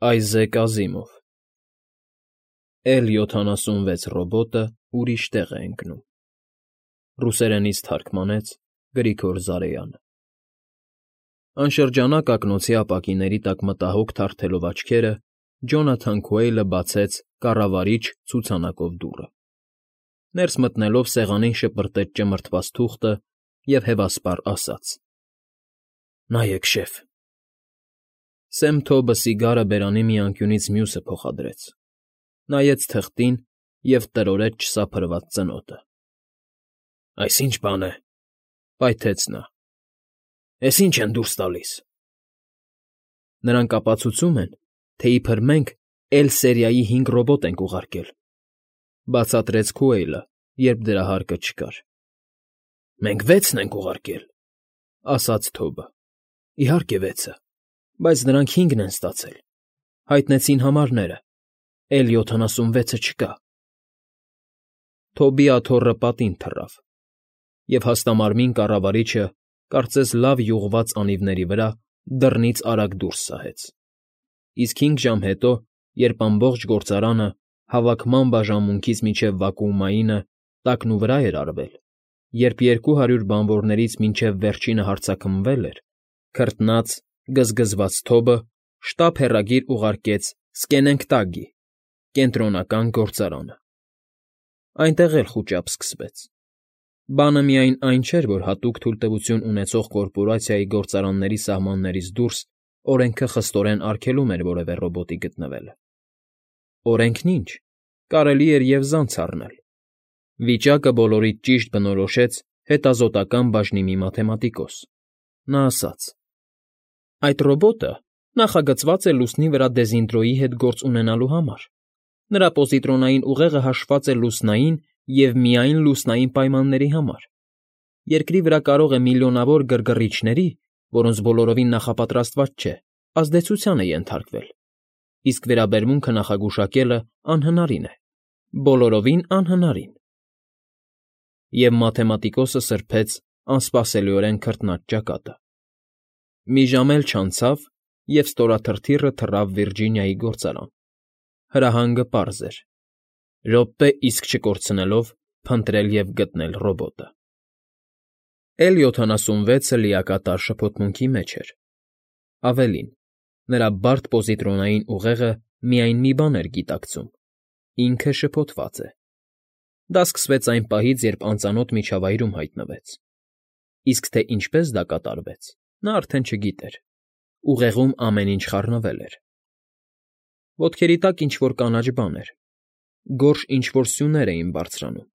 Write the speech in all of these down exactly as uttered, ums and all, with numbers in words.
Այզեք Ազիմով Էլ յոթանասունվեց ռոբոտը ուրիշ տեղ է ընկնում։ Ռուսերենից թարգմանեց Գրիգոր Զարեյանը։ Անշրջանակ ակնոցի ապակիների տակ մտահոգ թարթելով աչքերը, Ջոնաթան Քուեյլը բացեց կառավարիչ ցուցանակով դուռը։ Ներս մտնելով սեղանին շպրտեց ճմրթված թուղթը և հևասպառ ասաց. ֊ Նայեք, շեֆ… Սեմ Թոբը սիգարը բերանի մի անկյունից մյուսը փոխադրեց, նայեց թղթին և տրորեց չսափրված ծնոտը։ ֊ Այս ի՞նչ բան է,֊ պայթեց նա։֊ Էս ի՞նչ են դուրս տալիս։ ֊ Նրանք ապացուցում են, թե իբր մենք Էլ֊սերիայի հինգ ռոբոտ ենք ուղարկել,֊ բացատրեց Քուեյլը, երբ դրա հարկը չկար։ ֊ Մենք վեցն ենք ուղարկել,֊ ասաց Թոբը։ ֊ Իհարկե, վեցը, բայց նրանք հինգն են ստացել, հայտնեցին համարները, Էլ յոթանասունվեցը չկա։ Թոբի աթոռը պատին թռավ, և հաստամարմին կառավարիչը, կարծես լավ յուղված անիվների վրա, դռնից արագ դուրս սահեց։ Իսկ հինգ ժամ հետո, երբ ամբողջ գործարանը, հավաքման բաժանմունքից մինչև վակուումայինը, տակնուվրա էր արվել, երբ երկու հարյուր բանվորներից մինչև վերջինը հարձակմվել էր, քրտնած, գզգզված Թոբը շտապ հեռագիր ուղարկեց Սկենենքտագի, կենտրոնական գործարանը։ Այնտեղ էլ խուճապ սկսվեց։ Բանը միայն այն չէր, որ հատուկ թույլտվություն ունեցող կորպորացիայի գործարանների սահմաններից դուրս օրենքը խստորեն արգելում էր որևէ ռոբոտի գտնվելը։ Օրենքն ինչ, կարելի էր և զանց առնել։ Վիճակը բոլորից ճիշտ բնորոշեց հետազոտական բաժնի մի մաթեմատիկոս։ Նա ասաց. «Այդ ռոբոտը նախագծված է լուսնի վրա Դեզինտրոյի հետ գործ ունենալու համար։ Նրա պոզիտրոնային ուղեղը հաշված է լուսնային և միայն լուսնային պայմանների համար։ Երկրի վրա կարող է միլիոնավոր գրգռիչների, որոնց բոլորովին նախապատրաստված չէ, ազդեցությանը ենթարկվել, իսկ վերաբերմունքը նախագուշակելը անհնարին է, բոլորովին անհնարին»։ Եվ մաթեմատիկոսը սրբեց անսպասելիորեն քրտնած ճակատը։ Մի ժամ էլ չանցավ, և ստորաթրթիռը թռավ Վիրջինիայի գործարան։ Հրահանգը պարզ էր՝ րոպե իսկ չկորցնելով փնտրել և գտնել ռոբոտը։ Էլ յոթանասունվեցը լիակատար շփոթմունքի մեջ էր։ Ավելին, նրա բարդ պոզիտրոնային ուղեղը միայն մի բան էր գիտակցում՝ ինքը շփոթված է։ Դա սկսվեց այն պահից, երբ անծանոթ միջավայրում հայտնվեց։ Իսկ թե ինչպես դա կատարվեց, նա արդեն չգիտեր։ Ուղեղում ամեն ինչ խառնվել էր։ Ոտքերի տակ ինչ֊որ կանաչ բան էր, գորշ ինչ֊որ սյուներ էին բարձրանում,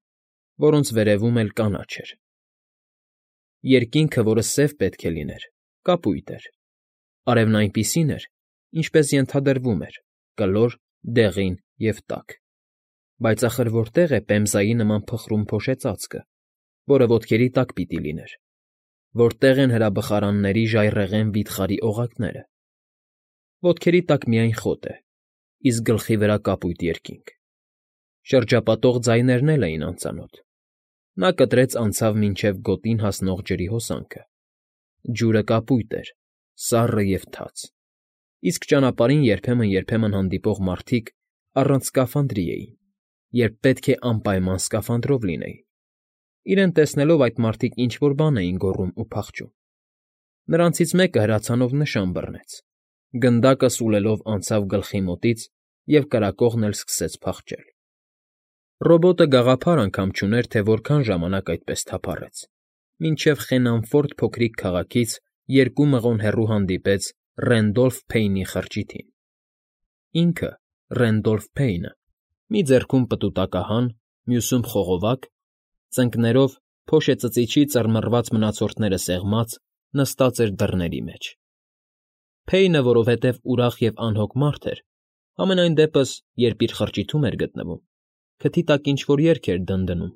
որոնց վերևում էլ կանաչ էր։ Երկինքը, որը սև պետք է լիներ, կապույտ էր։ Արևն այնպիսին էր, ինչպես ենթադրվում էր՝ կլոր, դեղին և տաք։ Բայց ախր որտե՞ղ է պեմզայի նման փխրուն փոշեծածկը, որը ոտքերի տակ պիտի լիներ, որտե՞ղ են հրաբխարանների ժայռերն վիթխարի օղակները։ Ոտքերի տակ միայն խոտ է, իսկ գլխի վրա կապույտ երկինք։ Շրջապատող ձայներն էլ էին անծանոթ։ Նա կտրեց անցավ մինչև գոտին հասնող ջրի հոսանքը։ Ջուրը կապույտ էր, սառը և թաց, իսկ ճանապարհին երբեմն֊երբեմն հանդիպող մարդիկ առանց սկաֆանդրի էին, երբ պետք է անպայման սկաֆանդրով լինեին։ Իրեն տեսնելով այդ մարդիկ ինչ֊որ բան էին գոռում ու փախչում։ Նրանցից մեկը հրացանով նշան բռնեց, գնդակը սուլելով անցավ գլխի մոտից և կրակողն էլ սկսեց փախչել։ Ռոբոտը գաղափար անգամ չուներ, թե որքան ժամանակ այդպես թափառեց, մինչև խենամֆորտ փոքրիկ քաղաքից երկու մղոն հեռու հանդիպեց Ռենդոլֆ Փեյնի խրճիթին։ Ինքը՝ Ռենդոլֆ Փեյնը, մի ձեռքում պտուտակահան, մյուսում խողովակ, ծնկներով, փոշեծծիչի ծռմռված մնացորդները սեղմած, նստած էր դռների մեջ։ Փեյնը, որովհետև ուրախ և անհոգ մարդ էր, համենայն դեպս, երբ իր խրճիթում էր գտնվում, քթի տակ ինչ֊որ երգ էր դնդնում։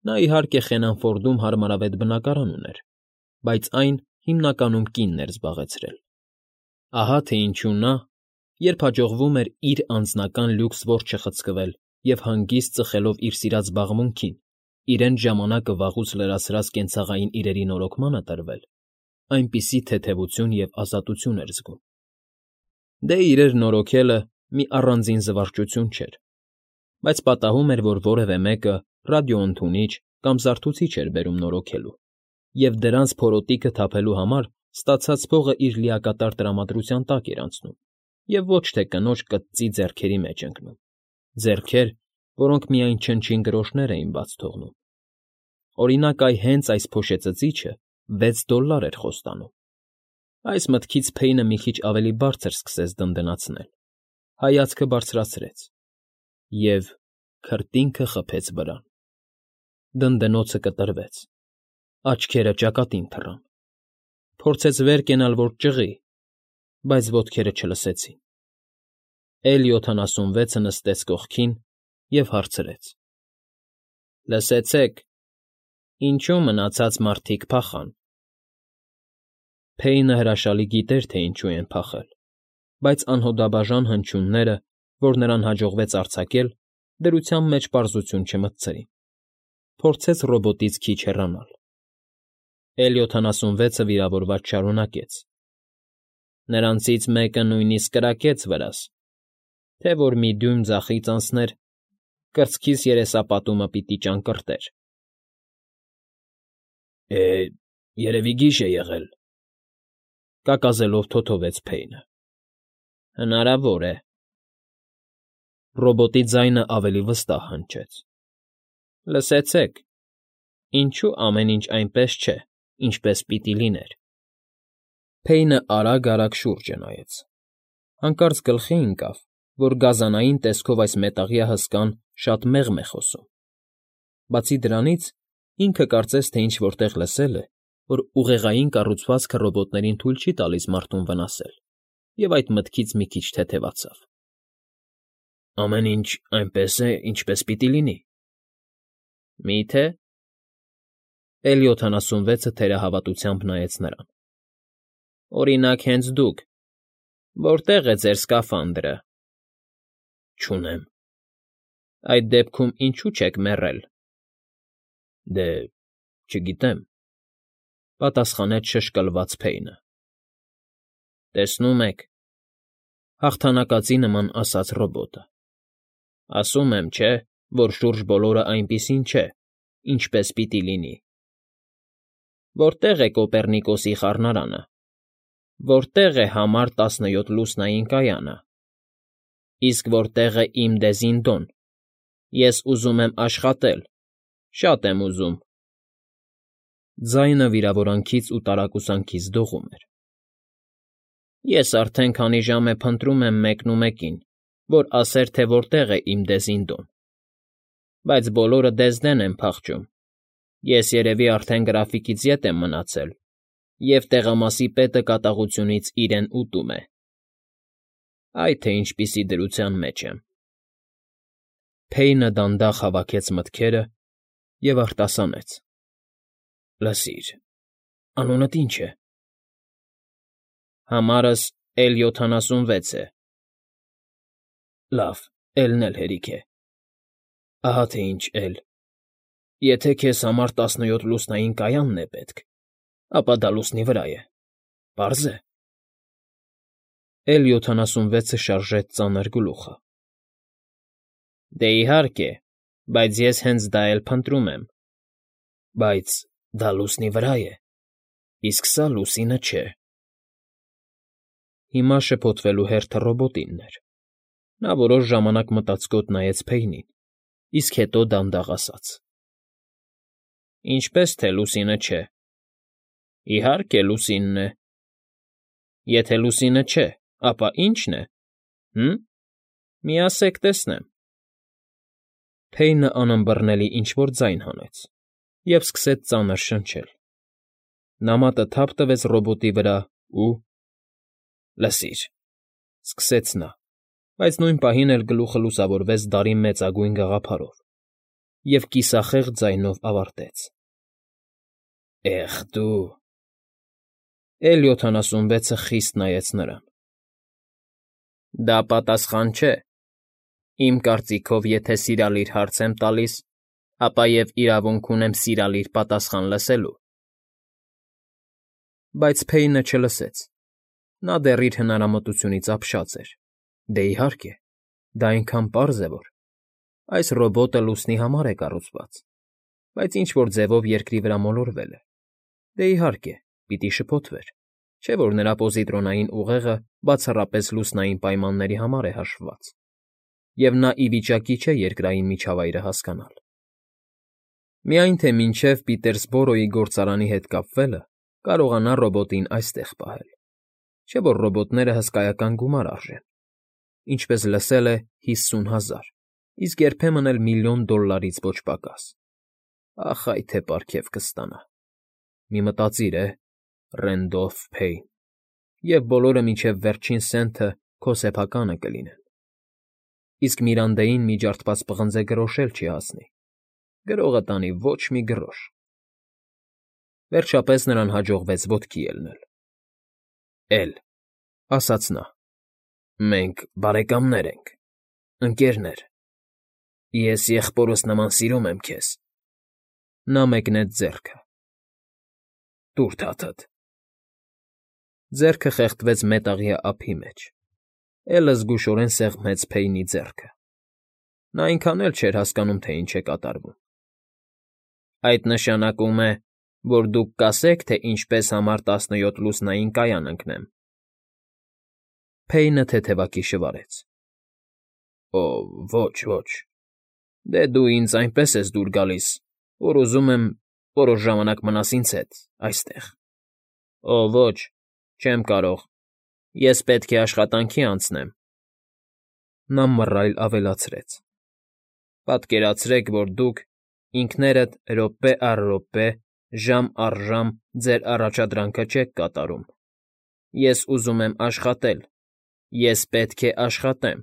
Նա, իհարկե, Խենամֆորդում հարմարավետ բնակարան ուներ, բայց այն հիմնականում կինն էր զբաղեցրել։ Ահա թե ինչու նա, երբ հաջողվում էր իր անձնական լյուքս որջը խցկվել և հանգիստ ծխելով իր սիրած զբաղմունքին, իրենց ժամանակը վաղուց լրացրած կենցաղային իրերի նորոգմանը տրվել, այնպիսի թեթևություն և ազատություն էր զգում։ Դե իրեր նորոգելը մի առանձին զվարճություն չէր, բայց պատահում էր, որ որևէ մեկը ռադիոընդունիչ կամ զարթուցիչ էր բերում նորոգելու, և դրանց փորոտիքը թափելու համար ստացած փողը իր լիակատար տրամադրության տակ էր անցնում և ոչ թե կնոջ կծծի ձեռքերի մեջ ընկնում, ձեռքեր, որոնք միայն չնչին գրոշներ էին բաց թողնում. օրինակ, այ հենց այս փոշեցծիչը վեց դոլլար էր խոստանում։ Այս մտքից Փեյնը մի քիչ ավելի բարձր սկսեց դնդնացնել, հայացքը բարձրացրեց և քրտինքը խփեց վրան։ Դնդնոցը կտրվեց, աչքերը ճակատին թռան, փորձեց վեր կենալ, որ ճղի, բայց ոտքերը չլսեցին։ Էլ յոթանասունվեցը նստեց կողքին և հարցրեց. «Լսեցե՞ք, ինչու մնացած մարդիկ փախան»։ Փեյնը հրաշալի գիտեր, թե ինչու են փախել, բայց անհոդաբաժան հնչյունները, որ նրան հաջողվեց արձակել, դրության մեջ պարզություն չմտցրին։ Փորձեց ռոբոտից քիչ հեռանալ։ Էլ յոթանասունվեցը վիրավորված շարունակեց. «Նրանցից մեկը նույնիսկ կրակեց վրաս, թե որ մի դյույմ ձախից անցներ, կրծքիս երեսապատումը պիտի ճանկռտեր»։ «Է, երևի գիժ է եղել», կակազելով թոթովեց Փեյնը։ «Հնարավոր է»։ Ռոբոտի ձայնը ավելի վստահ հնչեց. «Լսեցե՞ք, ինչու ամեն ինչ այնպես չէ, ինչպես պիտի լիներ»։ Փեյնը արագ֊արագ շուրջը նայեց, հանկարծ գլխի ընկավ, որ գազանային տեսքով այս մետաղյա հսկան շատ մեղմ է խոսում։ Բացի դրանից, ինքը կարծես թե ինչ֊որ տեղ լսել է, որ ուղեղային կառուցվածքը ռոբոտներին թույլ չի տալիս մարդուն վնասել, և այդ մտքից մի քիչ թեթևացավ։ «Ամեն ինչ այնպես է, ինչպես պիտի լինի»։ «Մի՞թե»։ Էլ յոթանասունվեցը թերահավատությամբ նայեց նրան։ «Օրինակ, հենց դուք, որտե՞ղ է ձեր սկաֆանդրը»։ «Չունեմ»։ «Այդ դեպքում ինչո՞ւ չեք մեռել»։ «Դե, չգիտեմ», պատասխանեց շշկլված Փեյնը։ «Տեսնում եք,֊ հաղթանակածի նման ասաց ռոբոտը,֊ ասում եմ, չէ, որ շուրջ բոլորը այնպիսին չէ, ինչպես պիտի լինի։ Որտե՞ղ է Կոպեռնիկոսի խառնարանը, որտե՞ղ է համար տասնյոթ լուսնային կայանը, իսկ որտե՞ղ է իմ Դեզինդոն, ես ուզում եմ աշխատել, շատ եմ ուզում»։ Ձայնը վիրավորանքից ու տարակուսանքից դողում էր։ «Ես արդեն քանի ժամ է փնտրում եմ մեկնումեկին, որ ասեր, թե որտեղ է իմ Դեզինդոն, բայց բոլորը Դեզդեն են փախչում, ես երևի արդեն գրաֆիկից ետ եմ մնացել, և տեղամասի պետը կատաղությունից իրեն ուտում է։ Այ թե ինչպիսի դրության մեջ եմ»։ Փեյնը դանդաղ հավաքեց մտքերը և արտասանեց. «Լսիր, անունդ ի՞նչ է»։ «Համարս Էլ յոթանասունվեց է»։ «Լավ, Էլ֊ն էլ հերիք է։ Ահա թե ինչ Էլ. եթե քեզ համար տասնյոթ լուսնային կայանն է պետք, ապա դա լուսնի վրա է, պարզ է»։ Էլ յոթանասունվեցը շարժեց ծանր գլուխը։ «Դե, իհարկե, բայց ես հենց դա էլ փնտրում եմ»։ «Բայց դա լուսնի վրա է, իսկ սա լուսինը չէ»։ Հիմա շփոթվելու հերթը ռոբոտինն էր։ Նա որոշ ժամանակ մտածկոտ նայեց Փեյնին, իսկ հետո դանդաղ ասաց. «Ինչպե՞ս թե լուսինը չէ։ Իհարկե, լուսինն է։ Եթե լուսինը չէ, ապա ի՞նչն է, հը՞մ, մի ասեք տեսնեմ»։ Փեյնը անըմբռնելի ինչ֊որ ձայն հանեց և սկսեց ծանր շնչել։ Նամատը թափ տվեց ռոբոտի վրա ու… «Լսիր,֊ սկսեց նա, բայց նույն պահին էլ գլուխը լուսավորվեց դարի մեծագույն գաղափարով և կիսախեղճ ձայնով ավարտեց. «Էխ դու…»։ Էլ յոթանասունվեցը խիստ նայեց նրան։ «Դա պատասխան չէ։ Իմ կարծիքով, եթե սիրալիր հարց եմ տալիս, ապա և իրավունք ունեմ սիրալիր պատասխան լսելու»։ Բայց Փեյնը չլսեց։ Նա դեռ իր հնարամտությունից ապշած էր։ Դե, իհարկե, դա այնքան պարզ է, որ… Այս ռոբոտը լուսնի համար է կառուցված, բայց ինչ֊որ ձևով երկրի վրա մոլորվել է։ Դե, իհարկե, պիտի շփոթվեր, չէ՞ որ նրա պոզիտրոնային ուղեղը բացառապես լուսնային պայմանների համար է հաշվված, և նա ի վիճակի չէ երկրային միջավայրը հասկանալ։ Միայն թե մինչև Պիտերսբորոյի գործարանի հետ կապվելը կարողանա ռոբոտին այստեղ պահել, չէ՞ որ ռոբոտները հսկայական գումար արժեն, ինչպես լսել է, հիսուն հազար, իսկ երբեմն էլ միլիոն դոլլարից ոչ պակաս։ Ախ, այ թե պարգև կստանա… Մի մտածիր է, Ռենդոլֆ Փեյն, և բոլորը մինչև վերջին սենթը քո սեփականը կլինեն։ Իսկ Միրանդեին մի ջարդված պղնձե գրոշ էլ չի հասնի, գրողը տանի ոչ մի գրոշ… Վերջապես նրան հաջողվեց ոտքի ելնել։ ֊ Էլ,֊ ասաց նա,֊ մենք բարեկամներ ենք, ընկերներ… Ես եղբորս նման սիրում եմ քեզ… Նա մեկնեց ձեռքը։ ֊ Տուր թաթդ… Ձեռքը խեղդվեց մետաղյա ափի մեջ։ Էլը զգուշորեն սեղմեց Փեյնի ձեռքը։ Նա այնքան էլ չէր հասկանում, թե ինչ է կատարվում։ ֊ Այդ նշանակում է, որ դուք կասեք, թե ինչպես համար տասնյոթ լուսնային կայան ընկնեմ… Փեյնը թեթևակի շվարեց։ ֊ Օ՜, ոչ, ոչ… Դե դու ինձ այնպես ես դուր գալիս, որ ուզում եմ որոշ ժամանակ մնաս ինձ հետ, այստեղ… Օ՜, ոչ, չեմ կարող… Ես պետք է աշխատանքի անցնեմ… Նա մռայլ ավելացրեց. ֊ Պատկերացրեք, որ դուք, ինքներդ րոպե առ րոպե, ժամ առ ժամ ձեր առաջադրանքը չեք կատարում… Ես ուզում եմ աշխատել… Ես պետք է աշխատեմ…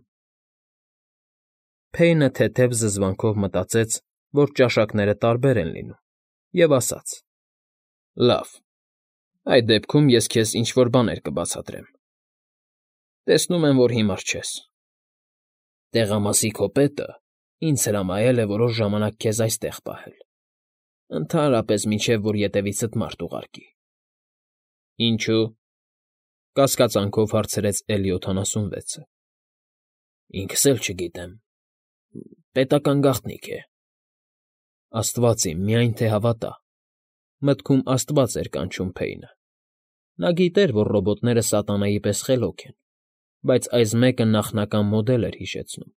Փեյնը թեթև զզվանքով մտածեց, որ ճաշակները տարբեր են լինում, և ասաց. ֊ Լավ, այդ դեպքում ես քեզ ինչ֊որ բաներ կբացատրեմ… Տեսնում եմ, որ հիմար չես… Տեղամասի քո պետը ինձ հրամայել է որոշ ժամանակ քեզ այստեղ պահել, ընդհանրապես մինչև որ ետևիցդ մարդ ուղարկի։ ֊ Ինչո՞ւ,֊ կասկածանքով հարցրեց Էլի օդանասունվեցը։ ֊ Ինքս էլ չգիտեմ… Պետական գաղտնիք է… Աստված իմ, միայն թե հավատա… Մտքում աստված էր կանչում Փեյնը։ Նա գիտեր, որ ռոբոտները սատանայի պես խելոք են, բայց այս մեկը նախնական մոդել էր հիշեցնում։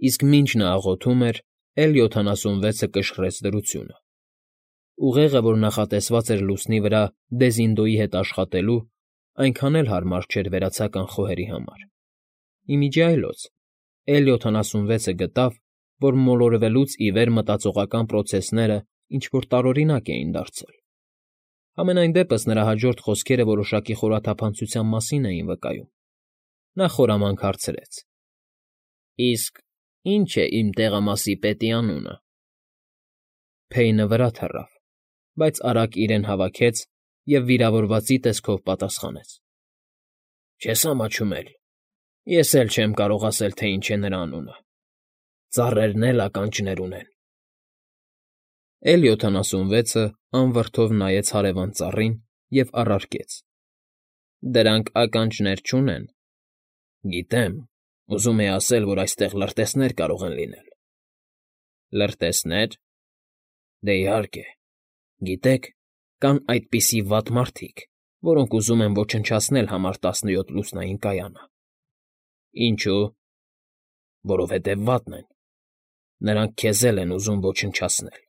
Իսկ մինչ նա աղոթում էր, Էլ յոթանասունվեցը կշռեց դրությունը։ Ուղեղը, որ նախատեսված էր լուսնի վրա Դեզինդոյի հետ աշխատելու, այնքան էլ հարմար չէր վերացական խոհերի համար։ Ի միջի այլոց Էլ յոթանասունվեցը գտավ, որ մոլորվելուց ի վեր մտածողական պրոցեսները ինչ֊որ տարօրինակ էին դարձել։ Համենայն դեպս նրա հաջորդ խոսքերը որոշակի խորաթափանցության մասին էին վկայում։ Նա խորամանկ հարցրեց. ֊ Իսկ ի՞նչ է իմ տեղամասի պետի անունը… Փեյնը վրա թռավ, բայց արագ իրեն հավաքեց և վիրավորվածի տեսքով պատասխանեց. ֊ Չես ամաչում էլ… Ես էլ չեմ կարող ասել, թե ինչ է նրա անունը… Ծառերն էլ ականջներ ունեն… Էլ յոթանասունվեցը անվրդով նայեց հարևան ծառին և առարկեց. ֊ Դրանք ականջներ չունեն… Գիտեմ, ուզում էի ասել, որ այստեղ լրտեսներ կարող են լինել… Լրտեսնե՞ր… Դե, իհարկե… Գիտեք, կան այդպիսի վատ մարդիկ, որոնք ուզում են ոչնչացնել համար տասնյոթ լուսնային կայանը… Ինչո՞ւ… Որովհետև վատն են… Նրանք քեզ էլ են ուզում ոչնչացնել…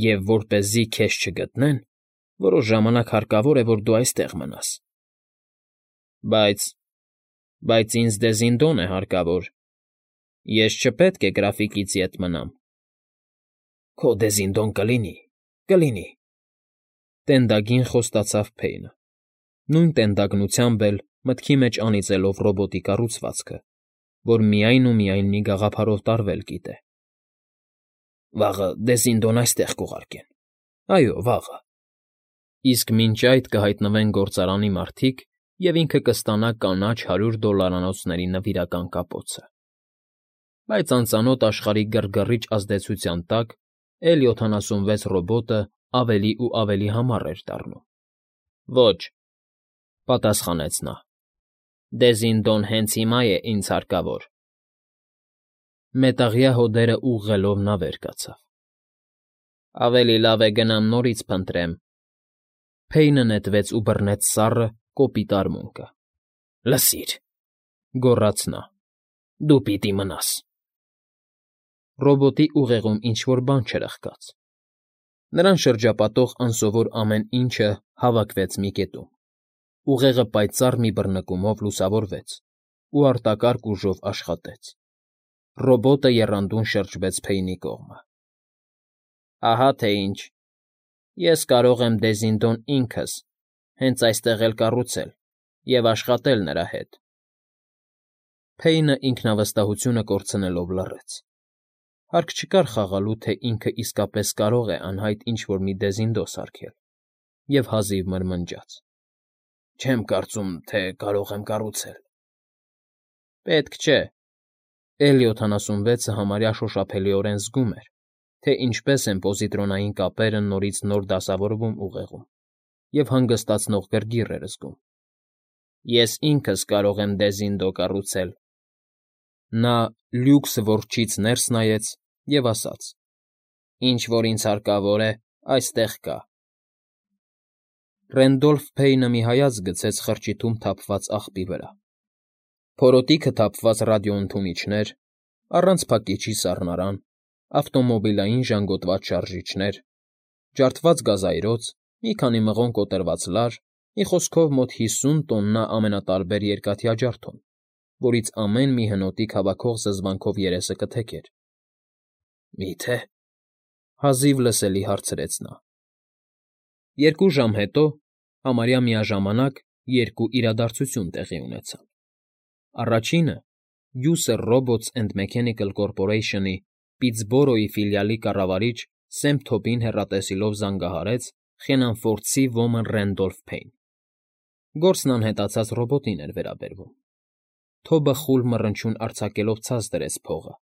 Եվ որպեսզի քեզ չգտնեն, որոշ ժամանակ հարկավոր է, որ դու այստեղ մնաս… Բայց… բայց ինձ Դեզինդոն է հարկավոր… Ես չպետք է գրաֆիտիցի հետ մնամ… Քո Դեզինդոն կլինի, կլինի… Տենդագին խոստացավ Փեյնը, նույն տենդագնությամբ էլ մտքի մեջ անիծելով ռոբոտի կառուցվածքը, որ միայն ու միայն մի գաղափարով տարվել գիտե։ Վաղը Դեզինդոն այստեղ կուղարկեն… Այո, վաղը… Իսկ մինչ այդ կհայտնվեն գործարանի մարդիկ, և ինքը կստանա կանաչ հարյուր դոլլարանոցների նվիրական կապոցը… Բայց անծանոթ աշխարհի գրգռիչ ազդեցության տակ Էլ յոթանասունվեց ռոբոտը ավելի ու ավելի համառ էր դառնում։ ֊ Ոչ… պատասխանեց նա։ Դեզինդոն հենց հիմա է ինձ հարկավոր։ Մետաղյա հոդերը ուղղելով նա վեր կացավ։ Ավելի լավ է գնամ նորից փնտրեմ։ Փեյնը նետվեց ու բռնեց սառը, կոպիտ արմունկը։ Լսիր, գոռաց նա, դու պիտի մնաս։ Ռոբոտի ուղեղում ինչ֊որ բան չրխկաց։ Նրան շրջապատող անսովոր ամեն ինչը հավաքվեց մի կետում։ Ուղեղը պայծառ մի բռնկումով լուսավորվեց ու արտակարգ ուժով աշխատեց։ Ռոբոտը եռանդուն շրջվեց Փեյնի կողմը։ Ահա թե ինչ։ Ես կարող եմ Դեզինդոն ինքս հենց այստեղ էլ կառուցել և աշխատել նրա հետ։ Փեյնը ինքնավստահությունը կորցնելով լռեց։ Հարկ չկար խաղալու, թե ինքը իսկապես կարող է անհայտ ինչ֊որ մի Դեզինդո սարքել, և հազիվ մրմնջաց. Չեմ կարծում, թե կարող եմ կառուցել։ Պետք չէ։ Էլ յոթանասունվեցը համարյա շոշափելիորեն զգում էր, թե ինչպես են պոզիտրոնային կապերը նորից նոր դասավորվում ուղեղում, և հանգստացնող գրգիռ էր զգում։ Ես ինքս կարող եմ Դեզինդո կառուցել։ Նա լյուքս որջից ներս նայեց և ասաց. Ինչ որ ինձ հարկավոր է, այստեղ կա։ Ռենդոլֆ Փեյնը մի հայացք գցեց խրճիթում թափված աղբի վրա։ Փորոտիքը թափված ռադիոընդունիչներ, առանց փակիչի սառնարան, ավտոմոբիլային ժանգոտված շարժիչներ, ջարդված գազայրոց, մի քանի մղոն կոտրված լար, մի խոսքով մոտ հիսուն տոննա ամենատարբեր երկաթյա ջարդոն, որից ամեն մի հնոտիկ հավաքող զզվանքով երեսը կթեքեր։ Մի՞թե։ Հազիվ լսելի հարցրեց նա։ Երկու ժամ հետո, համարյա միաժամանակ, երկու իրադարձություն տեղի ունեցան։ Առաջինը User Robots and Mechanical Corporation-ի Պիտսբորոյի ֆիլիալի կառավարիչ Սեմ Թոփին հեռատեսիլով զանգահարեց Խենանֆորդցի ոմն Ռենդոլֆ Փեյն։ Գործն անհետացած ռոբոտին էր վերաբերվում։ Թոբը խուլ մռնչյուն արձակելով ցած դրեց փողը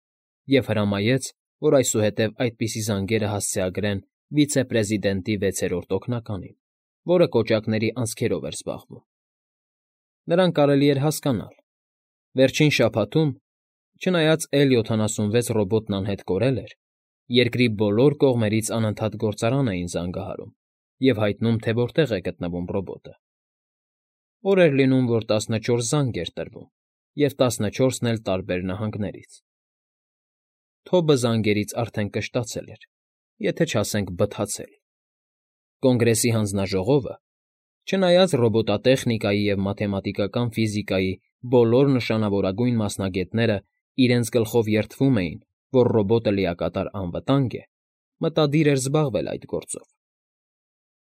և հրամայեց, որ այսուհետև այդպիսի զանգերը հասցեագրեն վիցեպրեզիդենտի վեցերորդ օգնականին, որը կոճակների անցքերով էր զբաղվում։ Նրան կարելի էր հասկանալ։ Վերջին շաբաթում, չնայած Էլ յոթանասունվեց ռոբոտն անհետ կորել էր, երկրի բոլոր կողմերից անընդհատ գործարան էին զանգահարում և հայտնում, թե որտեղ է գտնվում ռոբոտը։ Օր էր լինում, որ տասնչորս զանգ էր տրվում, և տասնչորսն էլ տարբեր նահանգներից։ Թոբը զանգերից արդեն կշտացել էր, եթե չասենք բթացել։ Կոնգրեսի հանձնաժողովը, չնայած ռոբոտատեխնիկայի և մաթեմատիկական ֆիզիկայի բոլոր նշանավորագույն մասնագետները իրենց գլխով երդվում էին, որ ռոբոտը լիակատար անվտանգ է, մտադիր էր զբաղվել այդ գործով։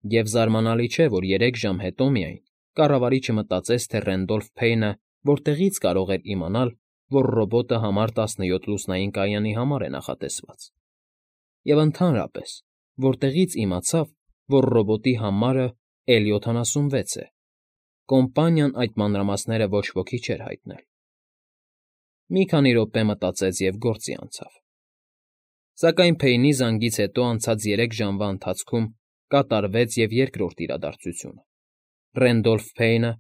Եվ զարմանալի չէ, որ երեք ժամ հետո միայն կառավարիչը մտածեց, թե Ռենդոլֆ Փեյնը որտեղից կարող էր իմանալ, որ ռոբոտը համար տասնյոթ լուսնային կայանի համար է նախատեսված։ Եվ ընդհանրապես, որտեղից իմացավ, որ ռոբոտի համարը Էլ յոթանասունվեց է։ Կոմպանիան այդ մանրամասները ոչ ոքի չէր հայտնել։ Մի քանի րոպե մտածեց և գործի անցավ։ Սակայն Փեյնի զանգից հետո անցած երեք ժամվա ընթացքում կատարվեց և երկրորդ իրադարձությունը։ Ռենդոլֆ Փեյնը,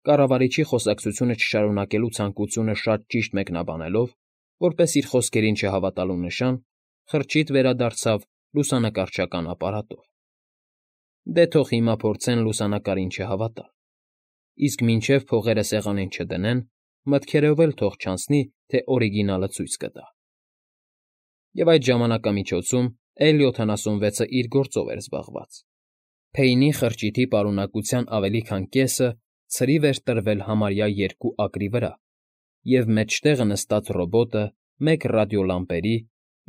կառավարիչի խոսակցությունը չշարունակելու ցանկությունը շատ ճիշտ մեկնաբանելով, որպես իր խոսքերին չհավատալու նշան, խրճիթ վերադարձավ լուսանկարչական ապարատով։ Դե թող հիմա փորձեն լուսանկարին չհավատալ, իսկ մինչև փողերը սեղանին չդնեն, մտքերով էլ թող չանցնի, թե օրիգինալը ցույց կտա։ Եվ այդ ժամանակամիջոցում Էլ յոթանասունվեցը իր գործով էր զբաղված։ Փեյնի խրճիթի պարունակության ավելի քան կեսը ցրիվ էր տրվել համարյա երկու ակրի վրա, և մեջտեղը նստած ռոբոտը մեկ ռադիոլամպերի,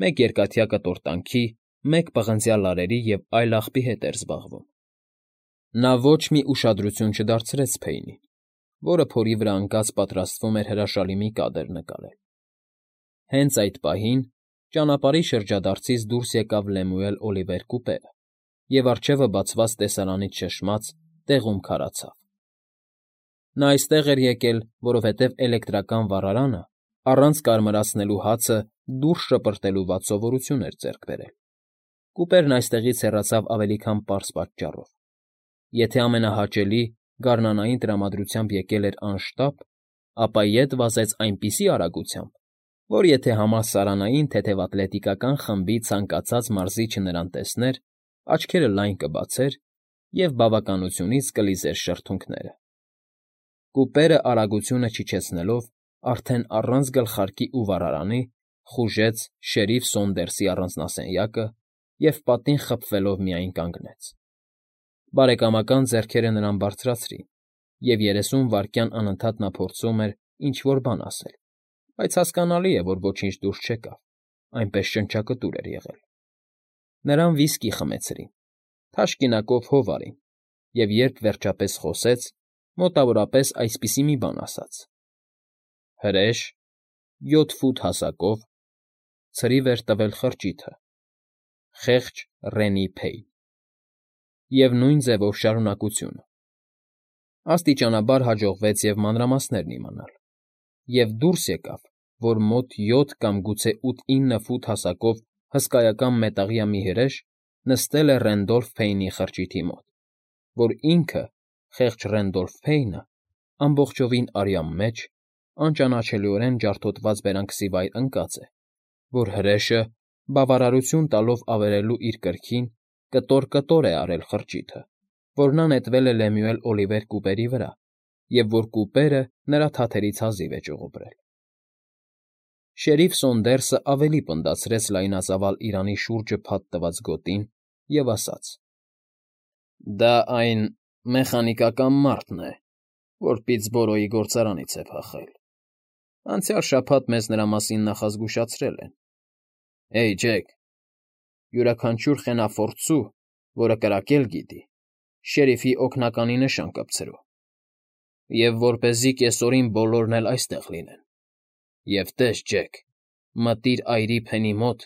մեկ երկաթյա կտորտանքի, մեկ պղնձյա լարերի և այլ աղբի հետ էր զբաղվում։ Նա ոչ մի ուշադրություն չդարձրեց Փեյնին, որը փորի վրա ընկած պատրաստվում էր հրաշալի մի կադր նկարել։ Հենց այդ պահին ճանապարհի շրջադարձից դուրս եկավ Լեմուել Օլիվեր կուպերը և, առջևը բացված տեսարանից շշմած, տեղում քարացավ։ Նա այստեղ էր եկել, որովհետև էլեկտրական վառարանը, առանց կարմրացնելու հացը դուրս շպրտելու վատ սովորություն էր ձեռք բերել։ Կուպերն այստեղից հեռացավ ավելի քան պարզ պատճառով։ Եթե ամենահաճելի գարնանային տրամադրությամբ եկել էր անշտապ, ապա ետ վազեց այնպիսի արագությամբ, որ եթե համալսարանային թեթևատլետիկական խմբի ցանկացած մարզիչը նրան տեսներ, աչքերը լայն կբացեր և բավականությունից կլիզեր շրթունքները։ Կուպերը արագությունը չիջեցնելով, արդեն առանց գլխարկի ու վառարանի, խուժեց շերիֆ Սոնդերսի առանձնասենյակը և պատին խփվելով միայն կանգնեց։ Բարեկամական ձեռքերը նրան բարձրացրին, և երեսուն վայրկյան անընդհատ նա փորձում էր ինչ֊որ բան ասել, բայց հասկանալի է, որ ոչինչ դուրս չեկավ, այնպես շնչակտուր էր եղել։ Նրան վիսկի խմեցրին, թաշկինակով հով արին, և երբ վերջապես խոսեց, մոտավորապես այսպիսի մի բան ասաց. «Հրե՞շ, յոթ ֆուտ հասակով, ցրիվ էր տվել խրճիթը, խեղճ Ռենի Փեյն»։ Եվ նույն ձևով շարունակությունը։ Աստիճանաբար հաջողվեց և մանրամասներն իմանալ, և դուրս եկավ, որ մոտ յոթ կամ գուցե ութ֊ինը ֆուտ հասակով հսկայական մետաղյա մի հրեշ նստել է Ռենդոլֆ Փեյնի խրճիթի մոտ, որ ինքը՝ խեղճ Ռենդոլֆ Փեյնը, ամբողջովին արյան մեջ, անճանաչելիորեն ջարդոտված բերանքսի վայր ընկած է, որ հրեշը, բավարարություն տալով ավերելու իր կրքին, կտոր֊կտոր է արել խրճիթը, որ նա նետվել է Լեմյուել Օլիվեր Կուպերի վրա և որ Կուպերը նրա թաթերից հազիվ է ճյուղոբրել։ Շերիֆ Սոնդերսը ավելի պնդացրեց լայնածավալ իրանի շուրջը փաթ տված գոտին և ասաց. «Դա այն մեխանիկական մարդն է, որ Պիտսբորոյի գործարանից է փախել։ Անցյալ շաբաթ մեզ նրա մասին նախազգուշացրել են։ Հեյ, Ջեք, յուրաքանչյուր խենաֆորձ սու, որը կրակել գիտի, շերիֆի օգնականի նշան կպցրու, և որպեսզի կեսօրին բոլորն էլ այստեղ լինեն։ Եվ տես, Ջեք, մտիր այրի Փենի մոտ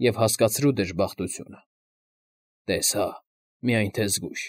և հասկացրու դժբախտությունը։ Տես հա, միայն թե զգույշ։